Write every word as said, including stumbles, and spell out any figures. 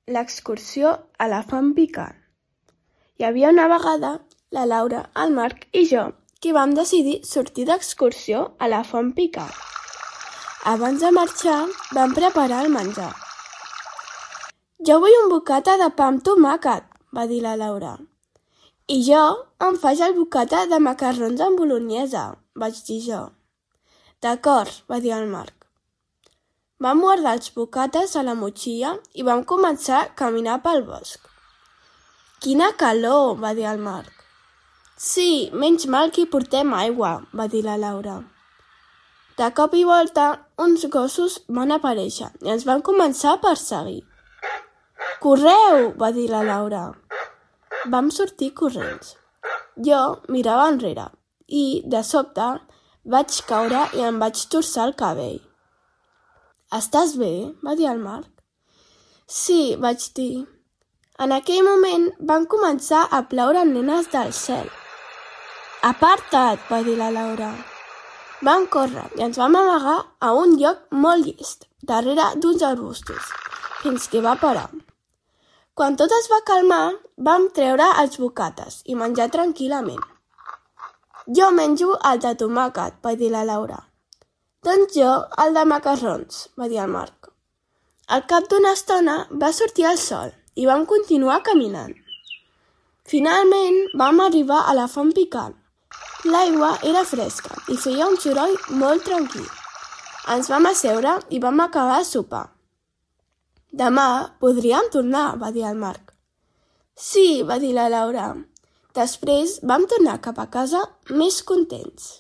l'excursió a la font picant. Hi havia una vegada la Laura, el Marc i jo que vam decidir sortir d'excursió a la font picant. Abans de marxar vam preparar el menjar. «Jo vull un bocata de pa amb tomàquet», va dir la Laura. «I jo em faig el bocata de macarrons amb bolognesa», vaig dir jo. «D'acord», va dir el Marc. Vam guardar els bocates a la motxilla i vam començar a caminar pel bosc. «Quina calor», va dir el Marc. «Sí, menys mal que hi portem aigua», va dir la Laura. De cop i volta, uns gossos van aparèixer i ens van començar a perseguir. «Correu», va dir la Laura. Vam sortir corrents. Jo mirava enrere i, de sobte, vaig caure i em vaig torçar el cabell. «Estàs bé?», va dir el Marc. «Sí», vaig dir. En aquell moment van començar a ploure nenes del cel. «Aparta't», va dir la Laura. Vam córrer i ens vam amagar a un lloc molt llest, darrere d'uns arbustos, fins que va parar. Quan tot es va calmar, vam treure els bocates i menjar tranquil·lament. «Jo menjo el de tomàquet», va dir la Laura. «Doncs jo el de macarrons», va dir el Marc. Al cap d'una estona va sortir el sol i vam continuar caminant. Finalment vam arribar a la font picant. L'aigua era fresca i feia un soroll molt tranquil. Ens vam asseure i vam acabar de sopar. «Demà podríem tornar», va dir el Marc. «Sí», va dir la Laura. Després vam tornar cap a casa més contents.